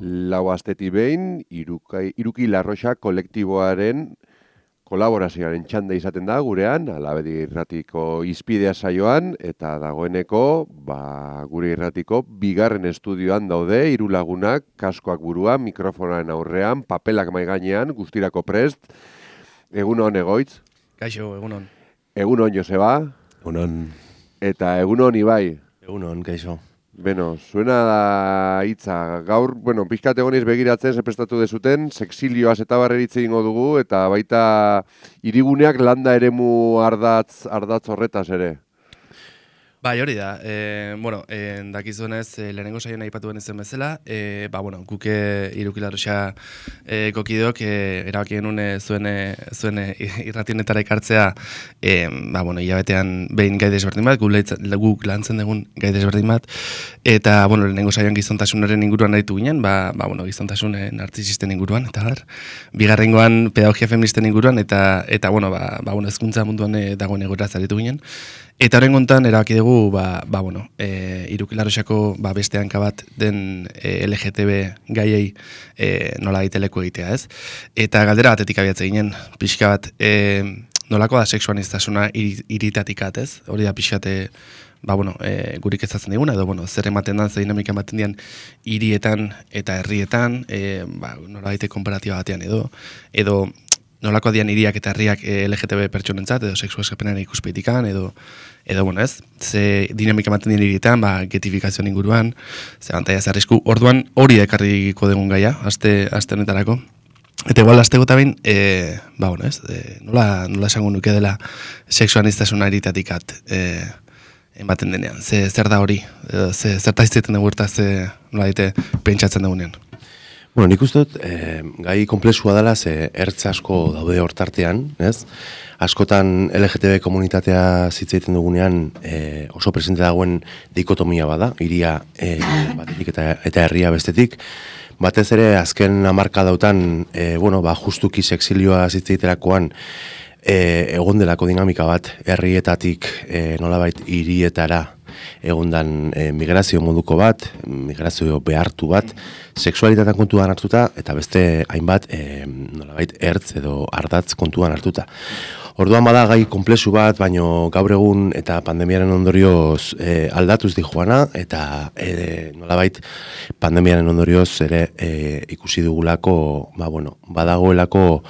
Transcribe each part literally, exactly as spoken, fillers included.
lau astetik behin, irukai, iruki larroxa kolektiboaren kolaborazioaren txanda izaten da gurean, Alabedi Irratiko Izpidea saioan, eta dagoeneko, ba, gure irratiko, bigarren estudioan daude, hiru lagunak, kaskoak buruan, mikrofonaren aurrean, papelak maigainean, guztirako prest. Egunon, Egoitz? Kaixo, egunon. Egunon, Joseba? Egunon. Eta egunon, Ibai? Egunon, kaixo. Beno, zuena da hitza. Gaur, bueno, pixkat egoniz begiratzen, zeprestatu dezuten, sexilioaz eta barreritze ingo dugu, eta baita hiriguneak landa eremu ardatz, ardatz horretaz ere. Bai, hori da. E, bueno, e, dakizuenez, e, lehenengo saioan aipatu zen bezala, e, ba, bueno, guke irukilarroxa e, kokidok, e, erabaki genuen e, zuen, e, zuen e, irrationetara ekartzea, e, ba, bueno, hilabetean behin gai desberdin bat, guk lantzen dugun gai desberdin bat, eta, bueno, lehenengo saioan gizontasunaren inguruan aritu ginen, ba, ba bueno, gizontasun narcisisten inguruan, eta bar, bigarrengoan pedagogia feministen inguruan, eta, eta bueno, ba, ba, bueno, ezkuntza munduan e, dagoen egoera zaritu ginen. Eta horren gontan, erabaki dugu, ba, ba, bueno, e, irukilarroxako ba, beste hanka bat den e, L G T B gaiei e, nola gaiteleko egitea, ez? Eta galdera batetik abiatze ginen, pixka bat, e, nolako da sexuaniztasuna iritatikat, ez? Hori da pixkate, ba, bueno, e, gurik ezatzen diguna, edo, bueno, zer ematen dan, zer dinamika ematen dian hirietan eta herrietan, e, ba, nola gaite komparatiba batean, edo, edo, nolako dian hiriak eta herriak L G T B pertsonentzat, edo sexu eskapenaren ikuspetikan, edo, edo, bueno, ez, ze dinamika ematen dien hirietan, ba, getifikazioan inguruan, ze bantaia zarrizku, orduan hori ekarriko dugun gaia, aste, aste honetarako. Eta igual, aztego eta bain, e, ba, bueno, ez, e, nola, nola esango nuke dela sexuaniztasuna eritatikat e, ematen denean, ze, zer da hori, e, ze, zer taizteten dugu eta ze, nola daite, pentsatzen dugunean. Bueno, nik uste dut, eh, gai komplexua dela, ze ertz asko daude hortartean, ez? Askotan L G T B komunitatea zitzaiten dugunean eh, oso presente dagoen dikotomia bada, hiria eh, batetik eta, eta herria bestetik. Batez ere, azken hamarkadautan, eh, bueno, ba, justuki sexilioa zitzaiterakoan, eh, egon delako dinamika bat, herrietatik eh, nolabait hirietara, egundan e, migrazio moduko bat, migrazio behartu bat, sexualitatean kontuan hartuta, eta beste hainbat e, nolabait ertz edo ardatz kontuan hartuta. Orduan bada gai komplexu bat, baino gaur egun eta pandemiaren ondorioz e, aldatuz di joana, eta e, nolabait pandemiaren ondorioz ere e, ikusi dugulako, ba, bueno, badagoelako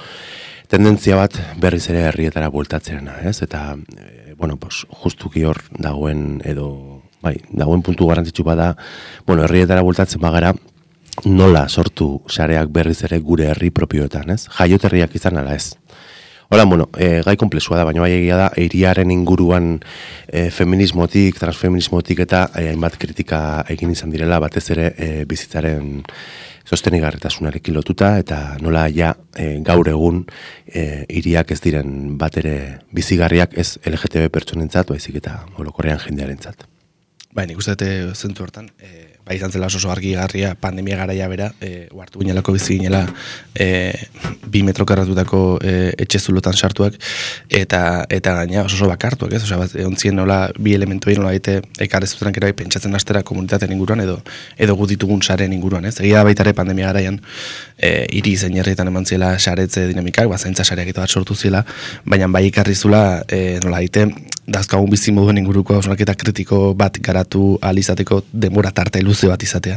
tendentzia bat berriz ere herrietara bueltatzeana, ez? Eta e, bueno, pues, justuki hor dagoen edo, bai, dagoen puntu garrantzitsu bada, bueno, herrietara bueltatzen bagara, nola sortu sareak berriz ere gure herri propioetan, ez? Jaioterriak izan ala ez. Hola, bueno, e, gai komplexua da, baina bai egia da, hiriaren inguruan e, feminismotik, transfeminismotik eta hainbat kritika egin izan direla, batez ere e, bizitzaren sostenigarritasunarekin lotuta, eta nola ja e, gaur egun e, hiriak ez diren bat ere bizigarriak ez L G T B pertsonentzat, baizik eta orokorrean jendearentzat. Bai, nik uste dut zentzu hortan, e, bai izan zela oso argigarria pandemia garaia bera, e, uartu ginelako bizi ginela e, bi metro karratutako e, etxe zulotan sartuak, eta eta gaina oso oso bakartuak, ez? Osea, bat, ontzien nola bi elementu egin nola daite ekarrezutenak ere bai pentsatzen astera komunitateen inguruan edo edo gu ditugun saren inguruan, ez? Egia baita ere pandemia garaian e, hiri zein herrietan eman ziela saretze dinamikak, ba zaintza sareak eta bat sortu ziela, baina bai ekarri zula e, nola daite dazkagun bizi moduen inguruko hausnarketa kritiko bat garatu ahal izateko denbora tarte luze bat izatea.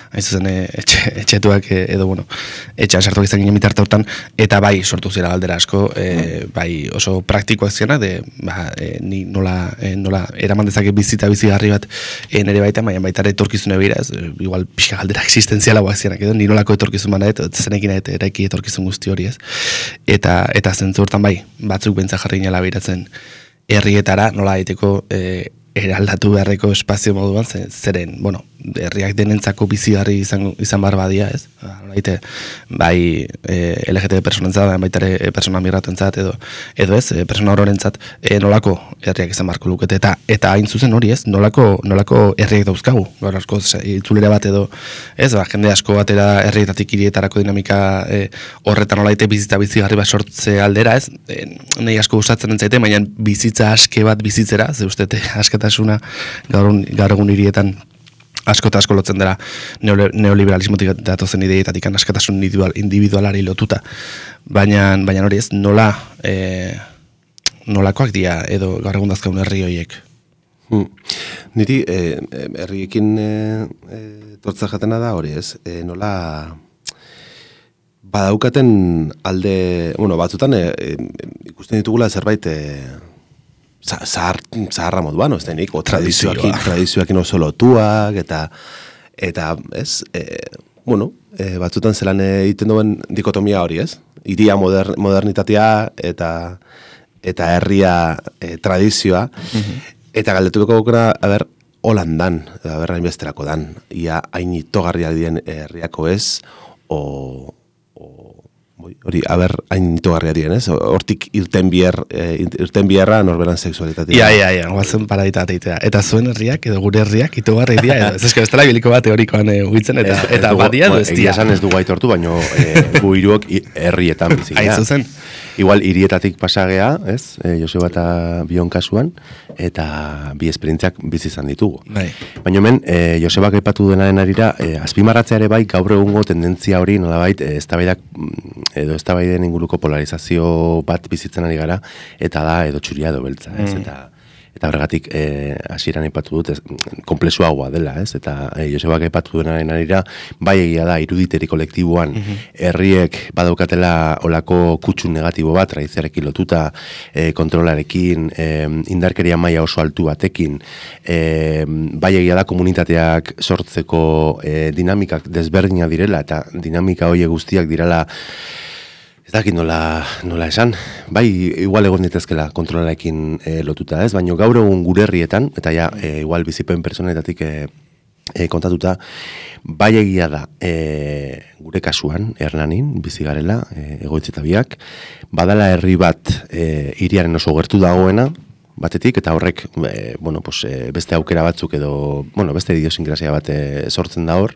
Hain zuzen, etxe, etxetuak edo, bueno, etxean sartuak izan ginen mitarte hortan, eta bai sortu zira galdera asko, e, bai oso praktikoak ziena, de, ba, e, ni nola, e, nola eraman dezake bizita bizigarri bat e, nire baita, baina baita ere etorkizune begira, ez, igual pixka galdera existentziala guak zienak edo, ni nolako etorkizun bana edo, zenekin eta eraiki etorkizun guzti hori, ez. Eta, eta zentzu hortan bai, batzuk bentsa jarri ginela behiratzen herrietara nola daiteko e, eraldatu beharreko espazio moduan, zeren, bueno, herriak denentzako bizigarri izan, izan behar badia, ez? Baite, bai e, L G T B personentzat, baita ere persona migratuentzat edo, edo ez, e, persona ororentzat, e, nolako herriak izan beharko lukete, eta eta hain zuzen hori, ez? Nolako, nolako herriak dauzkagu, gaur asko itzulera bat edo, ez? Ba, jende asko batera herrietatik hirietarako dinamika e, horretan nolaite bizitza bizigarri bat sortze aldera, ez? E, nahi asko gustatzen entzaite, baina bizitza aske bat bizitzera, ze ustete asketasuna gaur, gaur egun hirietan asko eta asko lotzen dela neoliberalismotik datozen ideietatik askatasun individualari lotuta. Baina, baina hori ez, nola, e, nolakoak dira edo gaur egun dazkaun herri horiek? Hmm. Niri, eh, herriekin eh, eh, tortza jatena da hori ez, eh, nola badaukaten alde, bueno, batzutan eh, eh, ikusten ditugula zerbait eh, Zahar, zaharra moduan, ez denik, o tradizioakin, tradizioakin oso lotuak, eta, eta ez, e, bueno, e, batzutan zelan egiten duen dikotomia hori, ez? Iria moder, modernitatea eta, eta herria e, tradizioa, mm-hmm. Eta galdetuko gukera, a ber, holan dan, a ber, hainbesterako dan, ia hain itogarriak dien herriako ez, o... hori, aber, hain itogarria dien, ez? Hortik irten bier, irten bierra norberan seksualitatea. Ia, ia, ia, guazen paraditatea. Eta zuen herriak, edo gure herriak, itogarri dira, edo. Ez eske, ez dela biliko bat teorikoan uitzen, eta, ez, eta ez badia du ez dira. Egia esan ez dugu aitortu, baino e, gu hiruok herrietan bizik. Aizu zen. Igual hirietatik pasagea, ez? E, Joseba eta Bion kasuan, eta bi esperientziak bizi izan ditugu. Bai. Baina hemen, e, Josebak aipatu denaren arira, e, azpimarratzea ere bai, gaur egungo tendentzia hori, nolabait, e, eztabaidak edo eztabaiden inguruko polarizazio bat bizitzen ari gara, eta da edo txuria edo beltza, ez? Mm. Eta eta horregatik hasieran e, aipatu dut, ez, konplexuagoa dela, ez? Eta e, Josebak aipatu denaren arira, bai egia da, iruditeri kolektiboan mm-hmm. herriek badaukatela olako kutsu negatibo bat, tradiziarekin lotuta, e, kontrolarekin, e, indarkeria maila oso altu batekin, e, bai egia da komunitateak sortzeko e, dinamikak desberdinak direla, eta dinamika horiek guztiak direla ez dakit nola, nola esan, bai, igual egon ditezkela kontrolarekin e, lotuta ez, baina gaur egun gure herrietan, eta ja, e, igual bizipen personetatik e, e, kontatuta, bai egia da, e, gure kasuan, Hernanin, bizi garela, e, egoitzetabiak, badala herri bat e, hiriaren oso gertu dagoena, batetik, eta horrek, e, bueno, pues, e, beste aukera batzuk edo, bueno, beste idiosinkrazia bat e, sortzen da hor,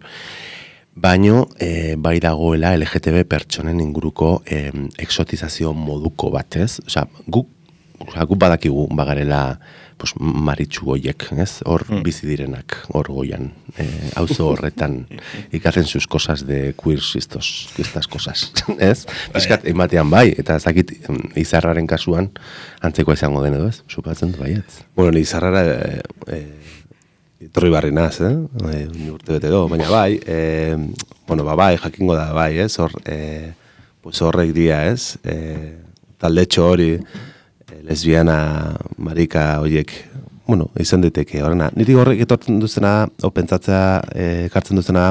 baino e, bai dagoela L G T B pertsonen inguruko e, exotizazio moduko bat, ez? Osea, guk, osea, guk badakigu bagarela pues, maritxu goiek, ez? Hor mm. bizi direnak, hor goian, e, auzo horretan ikatzen sus cosas de queer estos, estas cosas, ez? Piskat, ematean bai, eta ez dakit Izarraren kasuan antzeko izango den edo, ez? Supatzen du baietz. Bueno, Izarrara e, e, Torri barri naz, eh? E, urte bete do, baina bai, e, bueno, ba, bai, jakingo da, bai, ez? Hor, e, pues horrek dia, ez? E, taldetxo hori, e, lesbiana, marika, horiek, bueno, izan diteke, horrena. Niri horrek etortzen duzena, o pentsatzea, e, kartzen duzena,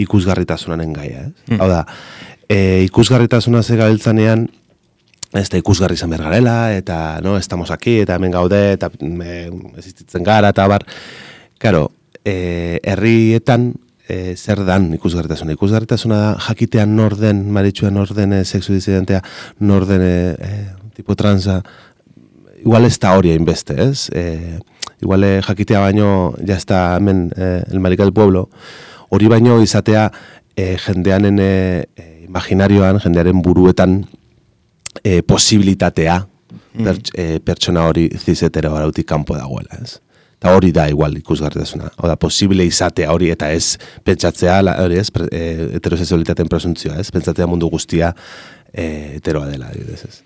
ikusgarritasunaren gaia, ez? Mm. Hau da, e, ikusgarritasuna ze gabiltzanean, ez da ikusgarri izan behar garela, eta, no, estamos aquí, eta hemen gaude, eta existitzen gara, eta bar. Karo, eh, herrietan eh, zer dan ikusgarritasuna. Ikusgarritasuna da jakitean nor den, maritxua nor den, eh, sexu disidentea, nor den eh, tipo transa, igual ez da hori hainbeste, ez? Eh, igual eh, jakitea baino, ja ez da hemen eh, el marica del pueblo, hori baino izatea eh, jendeanen eh, imaginarioan, jendearen buruetan eh, posibilitatea mm. perts, eh, pertsona hori zizetero arautik kanpo dagoela, ez? Eta hori da igual ikusgarritasuna. Hau da, posible izatea hori eta ez pentsatzea, hori ez, e, heterosexualitateen presuntzioa, ez, pentsatzea mundu guztia e, heteroa dela, ez.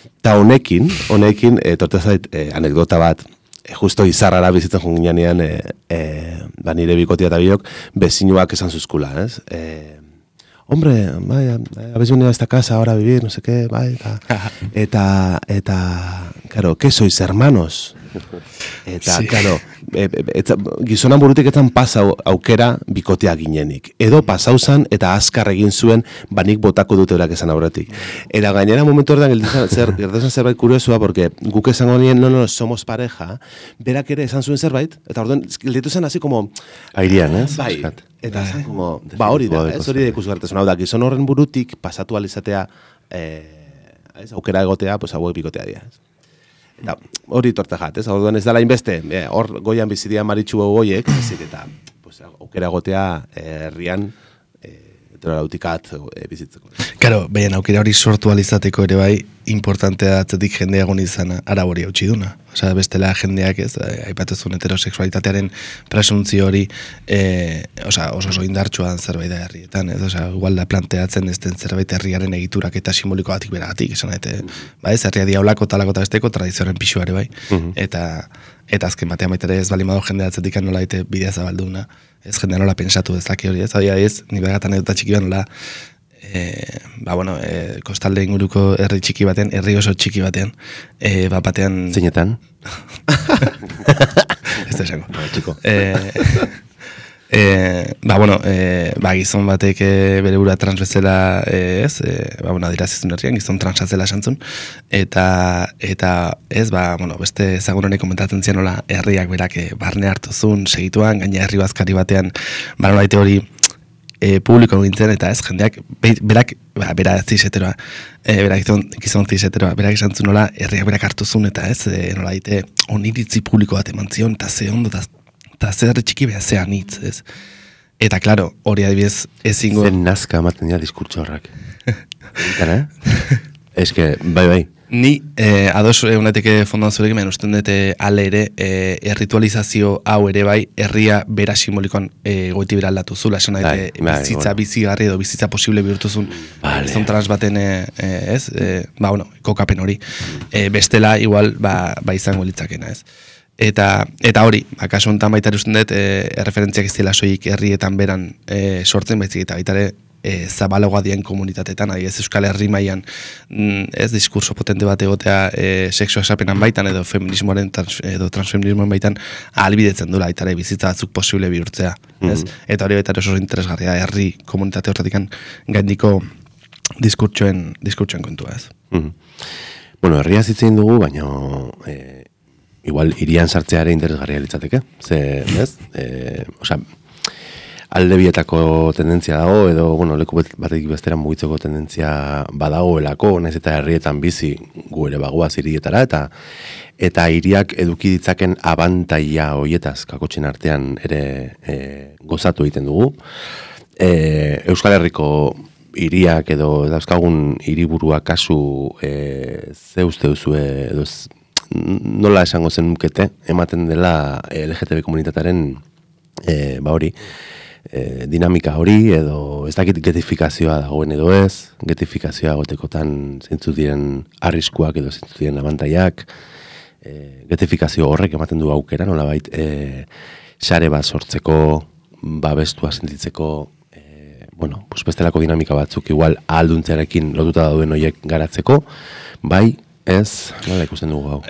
Eta honekin, honekin, e, torte zait, e, anekdota bat, e, justo Izarrara bizitzen junginean, e, e, ba nire bikotia eta biok, bezinuak esan zuzkula, ez. E, hombre, bai, habéis venido a esta casa ahora a vivir, no sé qué, bai, eta, eta, eta, claro, ¿qué sois, hermanos? Eta, sí. Claro, e, e, gizonan burutik etan pasa aukera bikotea ginenik. Edo pasau zan eta azkar egin zuen banik botako dute horak esan aurretik. Eta gainera momentu horretan gertatzen zerbait kuriosua, porque guk esango nien, no, no, somos pareja, berak ere esan zuen zerbait, eta orduan, gelditu zen así como... Airean, ez? Bai, eta esan como... Ba hori da, ez hori da ikusgarritasun. Hau da, gizon horren burutik pasatu alizatea, eh, ez, aukera egotea, pues hauek bikotea dira, ez? Eta hori torta jat, ez? Orduan ez dela inbeste, hor eh, goian bizidia maritxu goiek, ezik eta pues, aukera gotea herrian eh, litoralautikat e, bizitzeko. Karo, behin aukera hori sortu alizateko ere bai, importantea atzetik jendea egon izana arabori hautsi duna. Osea, bestela jendeak ez, aipatuzun heterosexualitatearen presuntzio hori e, osea, oso oso indartsuan zerbait da herrietan, ez? Osea, igual da planteatzen ez den zerbait herriaren egiturak eta simboliko batik beragatik, esan daite, ba ez, herria diaulako talako eta besteko tradizioaren pixuare bai, eta eta azken batean baitere ez balimado jendea atzetik nola daite bidea zabalduna, ez jendea nola pensatu dezake hori, ez? Hau ez, ni begatan edota txiki bat nola E, ba, bueno, e, kostalde inguruko herri txiki batean, herri oso txiki batean, e, ba, batean... Zeinetan? Ez da esango. E, e, ba, bueno, e, ba, gizon batek e, bere bura trans bezala, e, ez, e, ba, bueno, adirazizun herrian, gizon transatzela esantzun, eta, eta, ez, ba, bueno, beste ezagun honek komentatzen zian nola herriak berak e, barne hartuzun, segituan, gaina herri bazkari batean, ba, nola hori, E, publiko gintzen, eta ez jendeak be, berak, ba, bera zizeteroa e, berak gizon, gizon zizeteroa berak esan zu nola, herriak berak hartuzun eta ez, e, nola ite, oniritzi publiko bat eman zion, eta ze ondo, eta ze herri txiki beha zean hitz, ez eta klaro, hori adibidez ezingo zen nazka amaten dira diskurtso horrak Eta, eh? Ez que, bai, bai Ni, eh, ados eguneteke fondoan zurekin, men usten dute ale ere, eh, erritualizazio hau ere bai, herria bera simbolikoan eh, goiti bera aldatu zula, esan daite, bizitza bueno. bizigarri edo bizitza posible bihurtuzun, vale. Zon trans baten, eh, ez, eh, ba, bueno, kokapen hori, eh, bestela, igual, ba, ba izango litzakena, ez. Eta, eta hori, akaso honetan baita usten dut, eh, erreferentziak ez dela soik herrietan beran eh, sortzen, baizik eta baita ere, E, zabalagoa dien komunitatetan, ahi ez Euskal Herri mailan ez diskurso potente bat egotea e, sexua esapenan baitan edo feminismoaren trans, edo transfeminismoaren baitan ahalbidetzen dula aitare bizitza batzuk posible bihurtzea, mm-hmm. ez? Eta hori baita oso interesgarria herri komunitate horretikan gaindiko diskurtsoen diskurtsoen kontua, ez? Mm-hmm. Bueno, herria zitzen dugu, baina e, igual hirian sartzea ere interesgarria litzateke, ze, ez? E, osea, alde bietako tendentzia dago, edo, bueno, leku batetik bestera mugitzeko tendentzia badagoelako, naiz eta herrietan bizi gu ere bagoaz hirietara, eta eta hiriak eduki ditzaken abantaila hoietaz kakotxen artean ere e, gozatu egiten dugu. E, Euskal Herriko hiriak edo dauzkagun hiriburua kasu e, ze uste duzue, edo nola esango zen nukete, ematen dela L G T B komunitatearen e, ba hori, E, dinamika hori, edo ez dakit getifikazioa dagoen edo ez, getifikazioa gotekotan zeintzu diren arriskuak edo zeintzu diren abantaiak, e, getifikazio horrek ematen du aukera, nolabait, e, sare bat sortzeko, babestua sentitzeko, e, bueno, pues bestelako dinamika batzuk igual ahalduntzearekin lotuta dauden horiek garatzeko, bai, ez, nola ikusten dugu hau.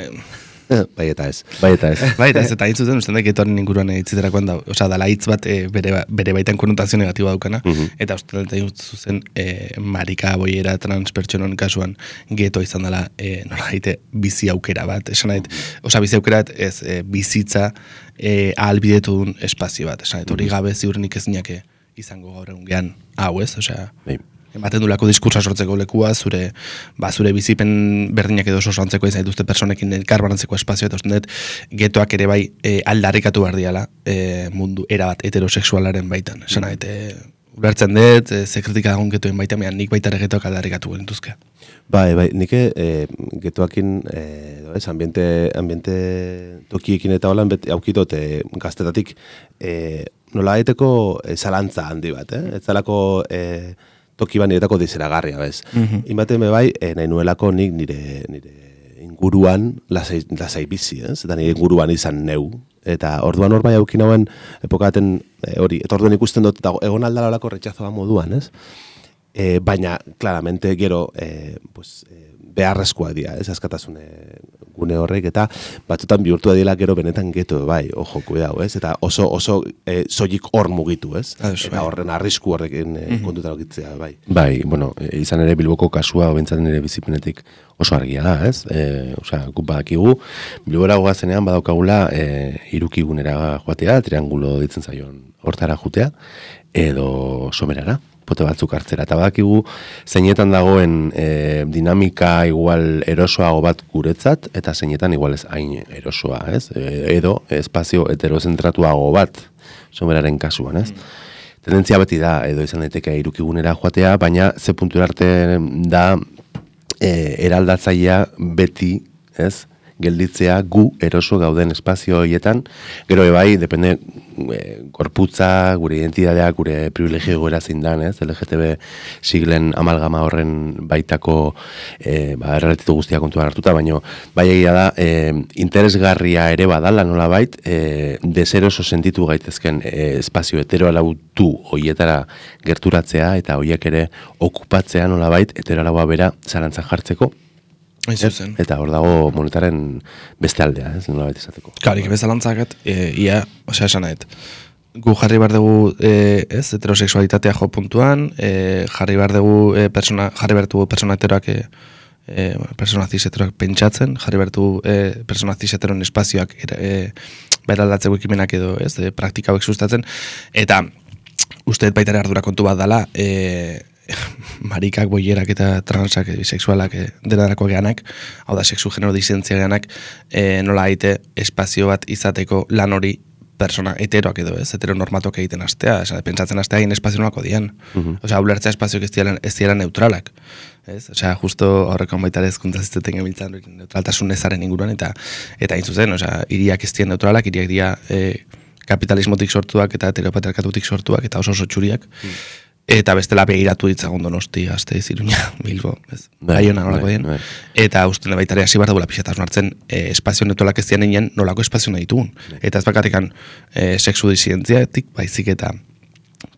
Bai eta ez. Bai eta ez. Bai eta ez, eta hitz zuten, usten da, getoaren inguruan hitziterakoan da, osea, dala hitz bat e, bere, bere baitan konotazio negatiboa daukana, uh-huh. eta usten da, zuzen, e, marika, boiera, transpertsonon kasuan, geto izan dela, e, nola daite, bizi aukera bat, esan nahi, osea, bizi aukera bat, ez, e, bizitza, e, ahalbidetu duen espazio bat, esan nahi, hori gabe ziurrenik ez niake izango gaur egun gehan, hau ez, osea, bai. Ematen du lako diskursa sortzeko lekua, zure, ba, zure bizipen berdinak edo oso antzeko izan dituzte personekin elkarbanantzeko espazio, eta usten dut, getoak ere bai e, aldarrikatu behar diala e, mundu erabat heterosexualaren baitan. Esan nahi, e, ulertzen dut, e, ze kritika dagoen getoen baitan, mehan nik baita ere getoak aldarrikatu gentuzke. Bai, bai, nik e, getoakin, e, ez, ambiente, ambiente tokiekin eta holan aukidot e, gaztetatik e, nola daiteko e, zalantza handi bat, eh? Ez zalako... E, toki ban niretako dizeragarria, bez. Mm-hmm. Inbaten me bai, eh, nahi nuelako nik nire, nire inguruan lasai, lasai bizi, ez? Eta nire inguruan izan neu. Eta orduan hor bai aukin hauen epokaten hori, eta orduan ikusten dut, egon aldala olako retxazoa moduan, ez? E, baina, claramente, gero, e, pues, e, beharrezkoa dira, ez askatasune gune horrek, eta batzutan bihurtu dira gero benetan geto, bai, ojo, kuidau, ez? Eta oso, oso e, soilik hor mugitu, ez? Ados, eta horren arrisku horrekin e, mm-hmm. kontuta lokitzea, bai. Bai, bueno, izan ere Bilboko kasua, obentzat nire bizipenetik oso argia da, ez? E, Osea, guk badakigu, Bilbora goazenean badaukagula e, irukigunera joatea, triangulo ditzen zaion hortara jutea, edo somerara, pote batzuk hartzera. Eta badakigu zeinetan dagoen e, dinamika igual erosoago bat guretzat, eta zeinetan igual ez hain erosoa, ez? E, edo espazio heterozentratuago bat someraren kasuan, ez? Mm. tendentzia beti da, edo izan daiteke irukigunera joatea, baina ze puntura arte da e, eraldatzailea beti, ez, gelditzea gu eroso gauden espazio horietan, gero bai, depende e, gorputza, gure identitatea, gure privilegio goera zein dan, ez, L G T B siglen amalgama horren baitako e, ba, errelatitu guztia kontuan hartuta, baina bai egia da, e, interesgarria ere badala nola bait, e, deseroso sentitu gaitezken e, espazio heteroalautu hoietara gerturatzea, eta hoiek ere okupatzea nola bait, heteroalaua bera zalantzan jartzeko, Zuzen. Eta hor dago monetaren beste aldea, ez, nola baita esateko. Karik, bezalantzakat, e, ia, osea, esan nahet, gu jarri behar dugu, e, ez, heterosexualitatea jo puntuan, e, jarri behar dugu, e, persona, jarri behar dugu persona heteroak, e, e, persona cis heteroak pentsatzen, jarri behar dugu e, persona cis heteroen espazioak e, beraldatzeko ekimenak edo, ez, e, praktika hauek sustatzen, eta uste baita ere ardura kontu bat dala, e, marikak, boierak eta transak, bisexualak, e, denarako geanak, hau da, sexu genero disentzia geanak, e, nola haite espazio bat izateko lan hori persona heteroak edo, ez, heteronormatuak egiten astea, esan, pentsatzen astea egin espazio nolako dian. Uh-huh. Osea, ulertzea espazioak ez diaran, ez diaran neutralak. Ez? Osea, justo horreko baita ere ezkuntza zizteten gemiltzan neutraltasun ezaren inguruan, eta eta hain zuzen, osea, hiriak ez dian neutralak, hiriak dira e, kapitalismotik sortuak eta heteropatriarkatutik sortuak, eta oso oso txuriak. Uh-huh. Eta bestela begiratu ditzagun Donosti, Gasteiz, Iruña, Bilbo, ez? Baiona nolako dien. Eta usten baitare hasi behar dugula pixetaz hartzen e, espazio neutralak ez dian nolako espazio nahi ditugun. Eta ez bakarrikan e, sexu disidentziatik, baizik eta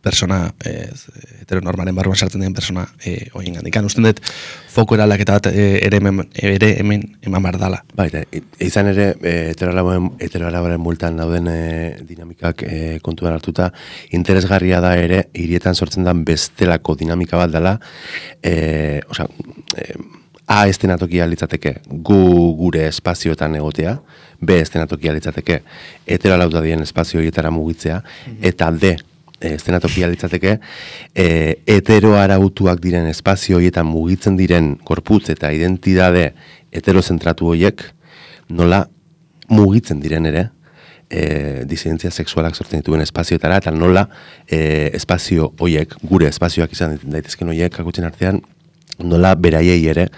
persona e, heteronormaren barruan sartzen den persona e, oien gandikan. Usten dut, foko eraldaketa bat e, ere, hemen, ere hemen eman behar dala. Baita, izan ere, heteroalabaren multan dauden e, dinamikak e, kontuan hartuta, interesgarria da ere, hirietan sortzen den bestelako dinamika bat dela, e, osea, e, A estenatokia litzateke gu gure espazioetan egotea, B estenatokia litzateke heteroalauta dien espazio horietara mugitzea, mm-hmm. eta D estenatokia litzateke e, heteroarautuak diren espazio horietan mugitzen diren gorputz eta identitate heterozentratu horiek nola mugitzen diren ere e, disidentzia sexualak sortzen dituen espazioetara, eta nola e, espazio horiek, gure espazioak izan daitezken horiek kakotxen artean, nola beraiei ere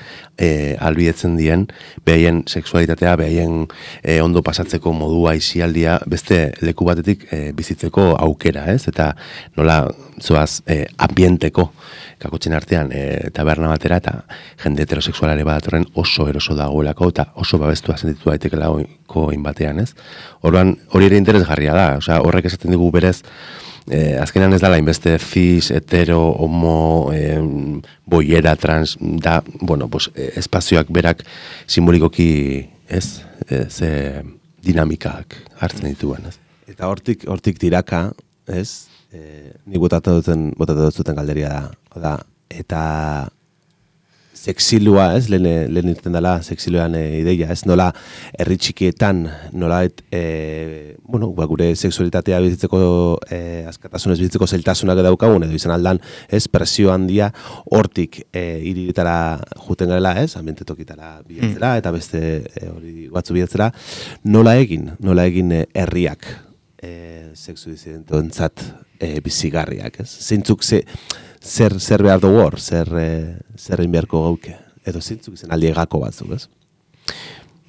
e, albidetzen dien, behaien sexualitatea, behaien e, ondo pasatzeko modua isialdia beste leku batetik e, bizitzeko aukera, ez? Eta nola zoaz e, ambienteko kakotxen artean e, taberna batera, eta jende heterosexualare badatorren oso eroso dagoelako, eta oso babestua sentitu daitekela oiko inbatean, ez? Orduan, hori ere interesgarria da, osea, horrek esaten digu berez, Eh, azkenan ez dala inbeste cis, hetero, homo, eh, boiera, trans, da, bueno, pues, eh, espazioak berak simbolikoki, ez, eh, ze dinamikak hartzen dituen, ez. Eta hortik, hortik tiraka, ez, eh, nik botatu duten, botatu duten galderia da, da, eta sexilua, ez, lehen, lehen irten dela sexiluan e, ideia, ez, nola herri txikietan, nola et, e, bueno, ba, gure sexualitatea bizitzeko, e, askatasunez bizitzeko zeltasunak daukagun, edo izan aldan, ez, presio handia, hortik e, iriritara juten garela, ez, ambiente tokitara bilatzera, eta beste e, hori batzu bilatzera, nola egin, nola egin e, herriak e, sexu disidentoentzat e, bizigarriak, ez, zeintzuk ze, Zer, zer behar dugu hor, zer, e, zer inbiarko gauke, edo zintzuk izan aldi egako batzuk, ez?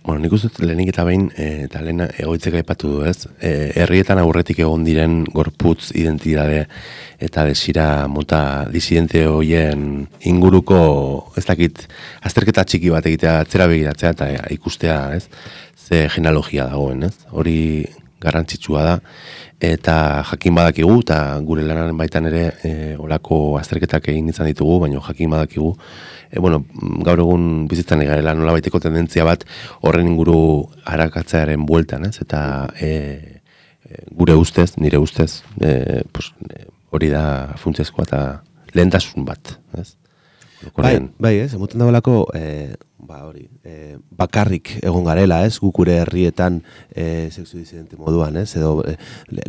Bueno, nik uste lehenik eta behin, e, eta lehen egoitzeka aipatu du, ez? E, herrietan aurretik egon diren gorputz identitate eta desira mota disidente hoien inguruko, ez dakit, azterketa txiki bat egitea, atzera begiratzea eta e, ikustea, ez? Ze genealogia dagoen, ez? Hori garrantzitsua da, eta jakin badakigu, eta gure lanaren baitan ere e, olako azterketak egin izan ditugu, baina jakin badakigu, e, bueno, gaur egun bizitzan egarela nola baiteko tendentzia bat horren inguru arakatzearen bueltan, ez? Eta e, e, gure ustez, nire ustez, e, pues, e, hori da funtsezkoa eta lehentasun bat, ez? Bai, bai, ez, emoten dagoelako, e, ba, hori, e, bakarrik egon garela, ez, guk gure herrietan e, sexu disidente moduan, ez, edo e,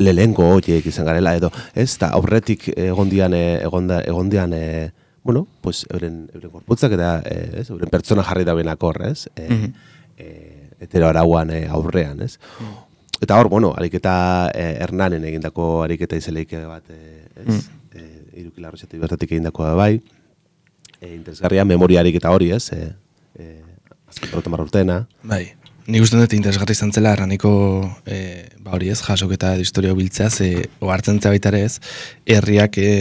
lehenko horiek izan garela, edo, ez, eta aurretik egondian, egonda, egondian, e, bueno, pues, euren, euren korputzak eta, e, ez, euren pertsona jarri da benak hor, ez, e, mm-hmm. e, hetero arauan e, aurrean, ez. Mm. eta hor, bueno, ariketa eh, Hernanen egindako ariketa izeleik bat, eh, ez? Mm. Eh, Iruki Larrochatik bertatik egindakoa bai. Eh, interesgarria, memoria ariketa hori, ez? Eh, eh, azken berroten marra urteena. Bai. Nik uste dut interesgarri izan zela erraniko e, ba hori ez, jasoketa edo historia biltzea, ze ohartzen zea baita ere ez, herriak, e,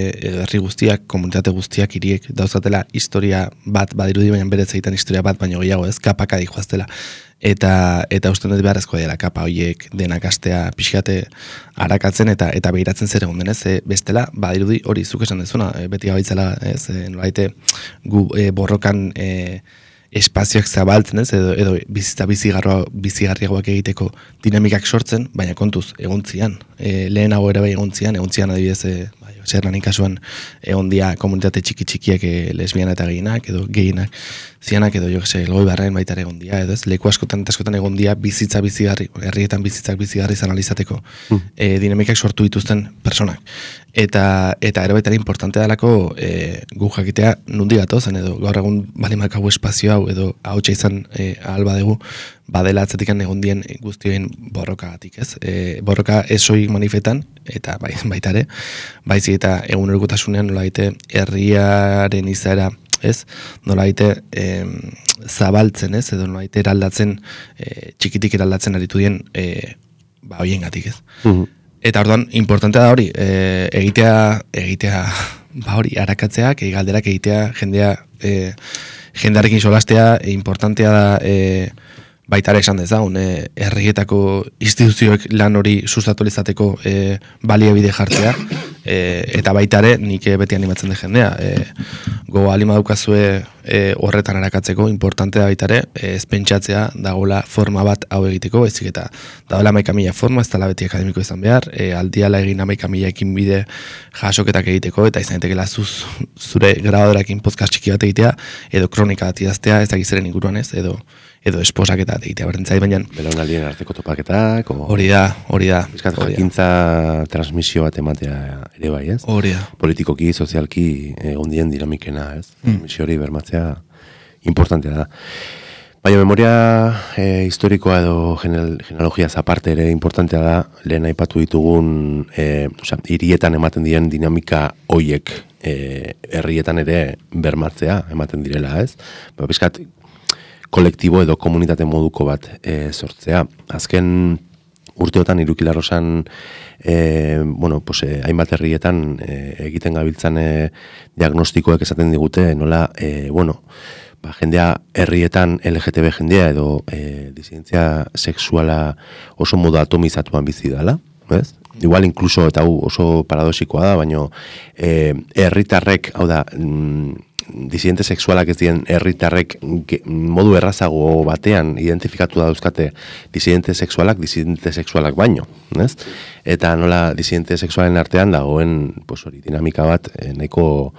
herri guztiak, komunitate guztiak, hiriek dauzatela historia bat, badirudi baina bere zeitan historia bat, baino gehiago ez, kapaka dihoaztela. Eta eta uste dut beharrezkoa dela kapa horiek denak astea pixkate arakatzen eta eta behiratzen zer egon denez, e, bestela, badirudi hori zuk esan dezuna, e, beti gabaitzela, ez, e, nolaite gu e, borrokan e, espazioak zabaltzen ez, edo, edo bizitza bizigarriagoak egiteko dinamikak sortzen, baina kontuz, egontzian. E, lehenago ere bai egontzian, egontzian adibidez, e, bai, Zernanin kasuan egon dia komunitate txiki-txikiak e, lesbiana eta gehienak, edo gehienak, zianak edo jo gese, elgoi barren baita ere egon dia, edo ez, leku askotan eta askotan egon dia bizitza bizigarri, herrietan bizitzak bizigarri izan alizateko mm. e, dinamikak sortu dituzten personak. Eta eta ere baita ere importante dalako e, gu jakitea nundi gatozen edo gaur egun balimakau espazio hau edo ahotsa izan e, ahal badegu badela atzetikan egon dien guztioen borrokagatik, ez? E, borroka ez soilik manifetan eta bai, baita ere, baizik eta egunerokotasunean nolaite herriaren izaera, ez? Nolaite e, zabaltzen, ez? Edo nolaite eraldatzen, e, txikitik eraldatzen aritu dien e, ba hoiengatik, ez? Mm-hmm. Eta orduan, importantea da hori, e, egitea, egitea, ba hori, arakatzeak, e, galderak egitea, jendea, e, jendearekin solastea, e, importantea da, e, baita ere esan dezagun, e, herrietako instituzioek lan hori sustatu izateko e, baliabide jartzea, e, eta baita ere nik beti animatzen de jendea. E, go alima daukazue e, horretan arakatzeko, importante da baita ere, e, ez pentsatzea dagoela forma bat hau egiteko, ezik eta dagoela hamaika mila forma, ez dela beti akademiko izan behar, e, aldiala egin hamaika mila ekin bide jasoketak egiteko, eta izan etekela zuz, zure grabadorakin podcast txiki bat egitea, edo kronika bat idaztea, ez dakizeren inguruan ez, edo edo esposaketa egitea berdentzai, baina belaunaldien arteko topaketak, hori da, hori da. Bizkat jakintza transmisio bat ematea ere bai, ez? Hori da. Politikoki, sozialki, ondien dinamikena, ez? Mm. Transmisio hori bermatzea importantea da. Baina memoria e, historikoa edo genealogia aparte ere importantea da, lehen aipatu ditugun, e, osea, hirietan ematen diren dinamika hoiek e, herrietan ere bermatzea ematen direla, ez? Ba, bizkat, kolektibo edo komunitate moduko bat e, sortzea. Azken urteotan Iruki Larrosan e, bueno, pues, e, hainbat herrietan e, egiten gabiltzan e, diagnostikoek esaten digute nola, e, bueno, ba, jendea herrietan L G T B jendea edo e, disidentzia sexuala oso modu atomizatuan bizi dela, ez? Igual incluso, eta hau oso paradoxikoa da, baina e, herritarrek, hau da, mm, disidente sexualak ez dien herritarrek modu errazago batean identifikatu da dauzkate disidente sexualak, disidente sexualak baino, ez? Eta nola disidente sexualen artean dagoen, pues hori, dinamika bat, eh, nahiko,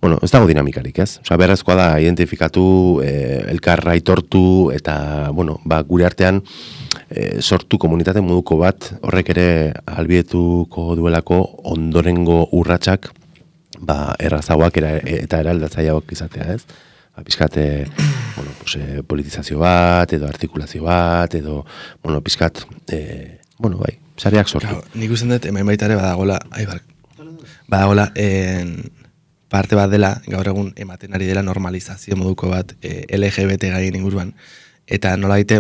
bueno, ez dago dinamikarik, ez? Osa, berrezkoa da identifikatu, eh, elkarra aitortu, eta, bueno, ba, gure artean eh, sortu komunitate moduko bat, horrek ere ahalbietuko duelako ondorengo urratsak ba, errazagoak era, eta eraldatzaileak izatea, ez? Ba, pizkat, bueno, pues, eh, politizazio bat, edo artikulazio bat, edo, bueno, pizkat, eh, bueno, bai, sareak sortu. Claro, nik usten dut, hemen baita ere badagola, ai, bar, badagola, en, parte bat dela, gaur egun ematen ari dela normalizazio moduko bat eh, L G B T gaien inguruan, eta nola daite,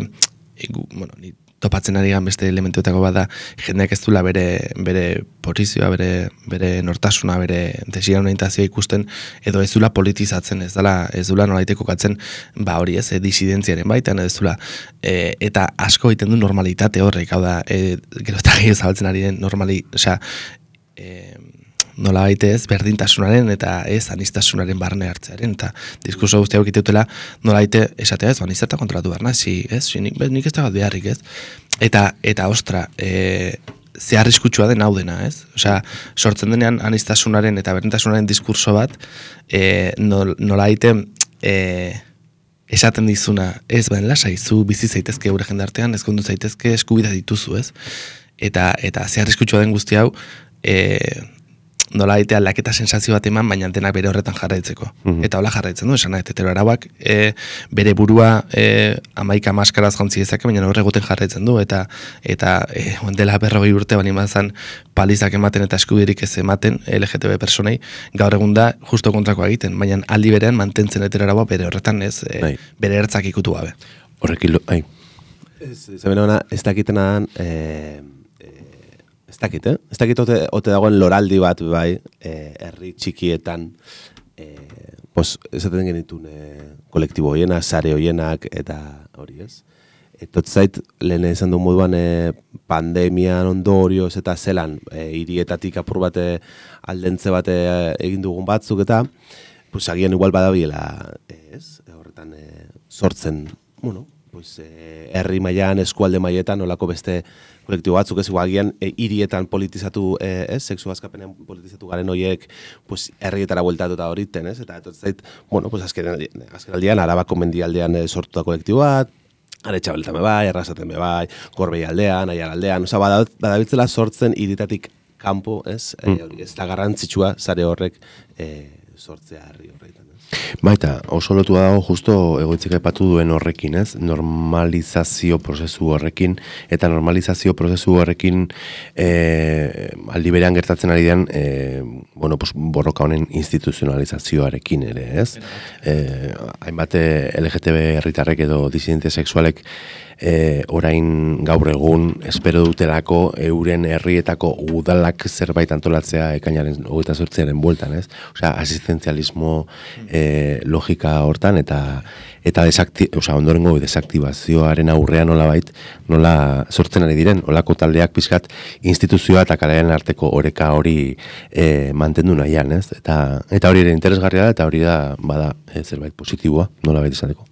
eh, bueno, ni topatzen ari gan beste elementuetako bat da, jendeak ez duela bere, bere posizioa, bere, bere nortasuna, bere desiran orientazioa ikusten, edo ez duela politizatzen, ez dela, ez duela nolaite kokatzen, ba hori ez, e, disidentziaren baitan, ez duela, e, eta asko egiten du normalitate horrek, hau da, e, gero eta gehiago zabaltzen ari den normali, osea, e, nola baite ez, berdintasunaren eta ez anistasunaren barne hartzearen, eta diskurso guztia hau egiteutela nola baite esatea ez, anistata kontrolatu behar nazi, ez, nik, nik ez da bat beharrik ez, eta, eta ostra, e, ze arriskutsua den hau dena, ez, osea, sortzen denean anistasunaren eta berdintasunaren diskurso bat, e, nola baite, e, esaten dizuna, ez bain lasai, zu bizi zaitezke gure jendartean, ezkondu zaitezke eskubida dituzu, ez, eta, eta ze arriskutsua den guzti hau, e, nola eite aldaketa sensazio bat eman, baina denak bere horretan jarraitzeko. Mm-hmm. Eta hola jarraitzen du, esan nahi, hetero arauak e, bere burua e, amaika maskaraz jantzi dezake, baina horregoten jarraitzen du, eta eta e, dela berrogei urte bani mazan palizak ematen eta eskubirik ez ematen L G T B personei, gaur egun da justo kontrakoa egiten, baina aldi berean mantentzen hetero araua bere horretan ez, e, bere ertzak ikutu gabe. Horrekin, ai. Ez, ez, ez dakitenan, eh, ez dakit, eh? Ez dakit ote, ote dagoen loraldi bat, bai, eh, herri txikietan, eh, pos, esaten genitun eh, kolektibo hoienak, sare hoienak, eta hori ez. Etot zait, lehen esan du moduan eh, pandemian ondorioz eta zelan, eh, hirietatik apur bate aldentze bate egin dugun batzuk, eta pues, agian igual badabiela, eh, ez, horretan eh, sortzen, bueno, pues, eh, herri mailan, eskualde mailetan, olako beste kolektibo batzuk ez, agian e, hirietan politizatu, e, ez, sexu askapenean politizatu garen horiek, pues, herrietara bueltatu eta horiten, ez, eta etot zait, bueno, pues, azken, azken aldean, Arabako mendialdean e, sortuta kolektibo bat, Aretxabeltan be bai, Errasaten be bai, Gorbei aldean, Aiar aldean, oza, badabiltzela sortzen hirietatik kanpo, ez, mm. e, hori, ez da garrantzitsua zare horrek e, sortzea herri horretan. Baita, oso lotua dago justo egoitzik aipatu duen horrekin, ez? Normalizazio prozesu horrekin, eta normalizazio prozesu horrekin e, aldi berean gertatzen ari den, e, bueno, pues, borroka honen instituzionalizazioarekin ere, ez? E, hainbat L G T B herritarrek edo disidente sexualek e, orain gaur egun espero dutelako euren herrietako udalak zerbait antolatzea ekainaren hogeita zortziaren bueltan, ez? Osea, asistenzialismo e, logika hortan eta eta desakti, osea, ondorengo desaktibazioaren aurrean nolabait, nola sortzen ari diren, olako taldeak pizkat instituzioa eta kalearen arteko oreka hori e, mantendu nahian, ez? Eta eta hori ere interesgarria da eta hori da bada e, zerbait positiboa, nolabait izateko.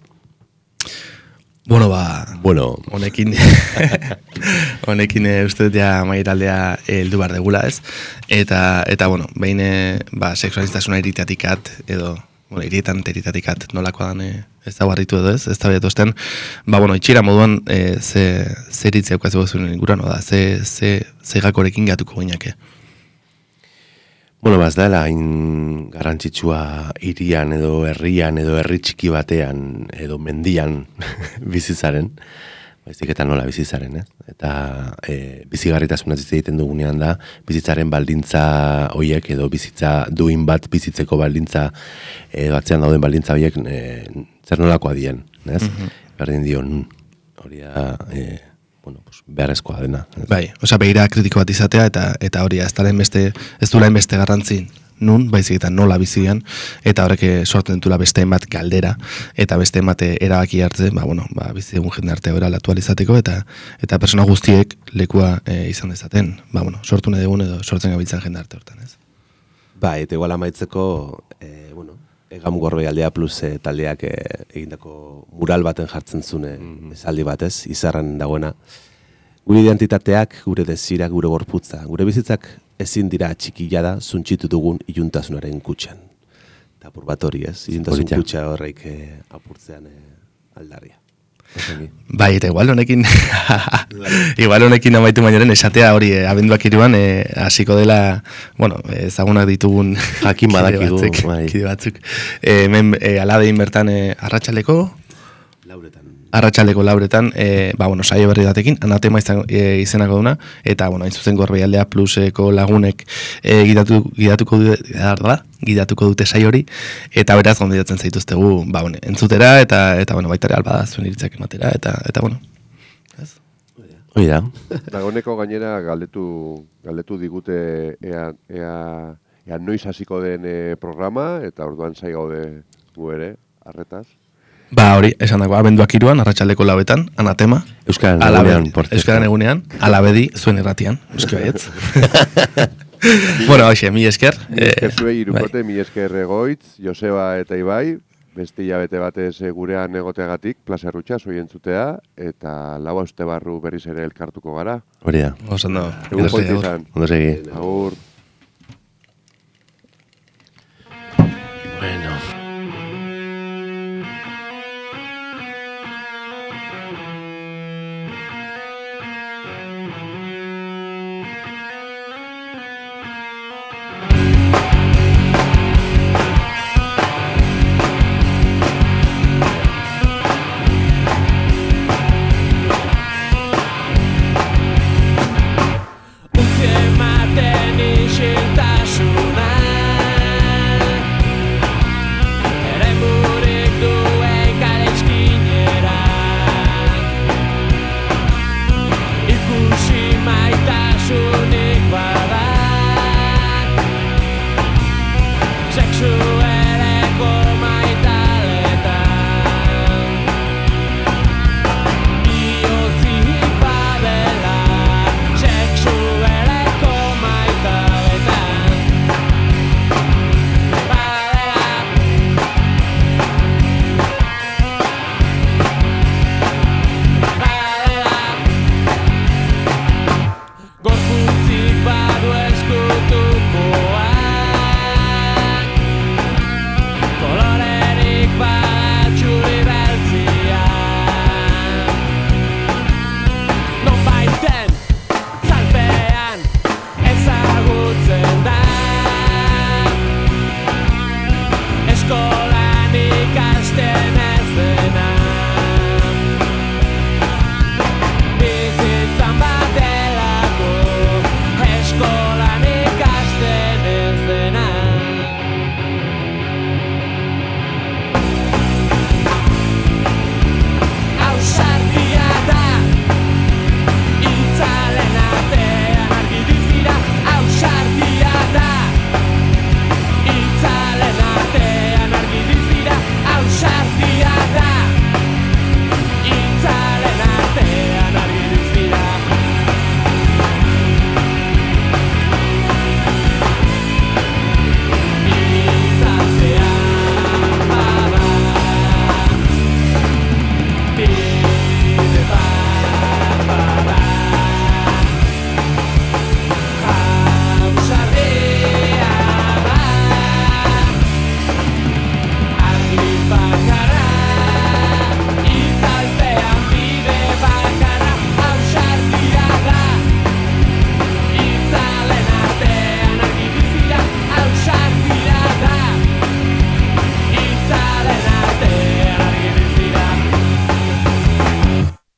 Bueno, ba, bueno. honekin, honekin e, uste dut ja maitaldea heldu behar degula, ez? Eta, eta bueno, behin, ba, sexualistasuna iriteatikat, edo, bueno, irietan teritatikat nolakoa dan, e, ez da barritu edo ez, ez da behatosten, ba, bueno, itxira moduan, e, ze, ze iritzea ukatzeko zuen inguran, da, ze, ze, ze gakorekin gatuko gainake. Bueno, baz dela, hain garrantzitsua hirian edo herrian edo herri txiki batean edo mendian bizitzaren, baizik eta nola bizitzaren, ez? Eta e, bizigarritasunaz hitz egiten dugunean da, bizitzaren baldintza hoiek edo bizitza duin bat bizitzeko baldintza edo atzean dauden baldintza hoiek e, zer nolakoa dien, ez? Mm-hmm. Berdin dion hori da... E, bueno, pues, beharrezkoa dena. Bai, osea, begira kritiko bat izatea, eta eta hori ez daren beste, ez dula beste garrantzi nun, baizik eta nola bizian, eta horrek sortzen dutula beste bat galdera, eta beste emate erabaki hartzen, ba, bueno, ba, bizi egun jende arte hori alatu alizateko, eta eta persona guztiek lekua e, izan dezaten, ba, bueno, sortu nahi dugun edo sortzen gabiltzen jende arte hortan, ez? Ba, eta igual amaitzeko, e, bueno, Egam Gorbei aldea plus e, taldeak e, egindako mural baten jartzen zune mm-hmm. esaldi batez, izarran dagoena. Gure identitateak, gure desirak, gure gorputza, gure bizitzak ezin dira txikila da zuntxitu dugun iluntasunaren kutxan. Eta apur bat hori ez, iluntasun kutxa horreik e, apurtzean e, aldarria. Bai, eta igual honekin igual honekin amaitu bainoren esatea hori eh, abenduak iruan eh, hasiko dela, bueno, ezagunak ditugun jakin badakigu batzuk, bai. Kide batzuk. Eh, hemen eh, aladein bertan eh, arratsaldeko lauretan. Arratsaldeko lauretan, eh, ba, bueno, saio berri datekin, anatema izan, e, izenako duna, eta, bueno, hain zuzen Gorbei aldea pluseko lagunek e, gidatu, gidatuko, da, gidatuko dute saio hori, eta beraz, gondidatzen zaituztegu, ba, bueno, entzutera, eta, eta bueno, baitare alba da zuen iritzak ematera, eta, eta bueno, ez? Hoi da. Dagoneko gainera galdetu, galdetu digute ea, ea, ea noiz hasiko den e, programa, eta orduan zai gaude gu ere, arretaz. Ba, hori, esan dago, abenduak iruan, arratsaldeko lauetan, anatema. Euskaren egunean, por cierto. Euskaren egunean, alabedi, zuen erratian, euski baietz. Bueno, hoxe, mi esker. Mi esker zuei irukote, mi esker Egoitz, Joseba eta Ibai, beste hilabete batez gurean egoteagatik, Plaza Errutxa, zoi entzutea, eta lau uste barru berriz ere elkartuko gara. Hori da. Oso, no. Egun polti izan. Ondo segi. Agur.